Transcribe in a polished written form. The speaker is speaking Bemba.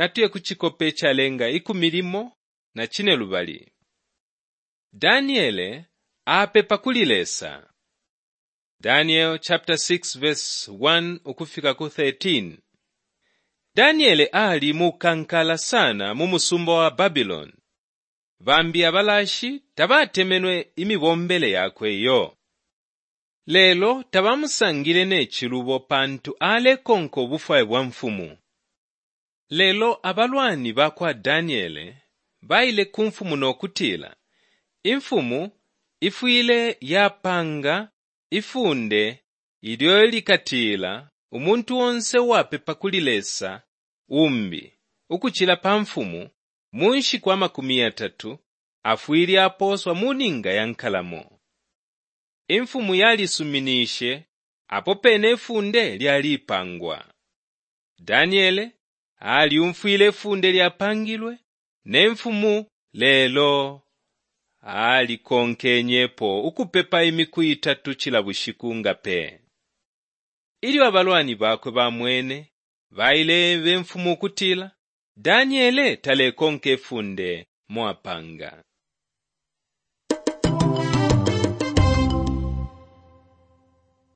Natuye ku cikope icalenga 12. Daniele apepa kuli Lesa. Daniel chapter 6 verse 1 ukufika ku 13. Daniele ali mukankala sana mu musumba wa Babiloni. Bambi abalashi tabatemenwe imibombele yakwe iyo. Lelo tabamusangile ne cilubo pantu alekonka ubufwayo bwa mfumu. Lelo abalwani ba kwa Daniele baile ku mfumu no kutila, Imfumu ifwile yapanga ifunde ilyo likatila umuntu onse uwapepa kuli lesa umbi ukucila pa mfumu mu nshiku 30 afwile apooswa mu ninga ya nkalamo. Imfumu yalisuminishe, apo pene ifunde lyalipangwa. Daniele alyumfwile ifunde lyapangilwe ne mfumu lelo alikonkenyepo ukupepa imiku itatu cila bushiku nga pe. Ilyo abalwani bakwe bamwene, baile-eba imfumu ukutila, Daniele talekonka ifunde mwapanga.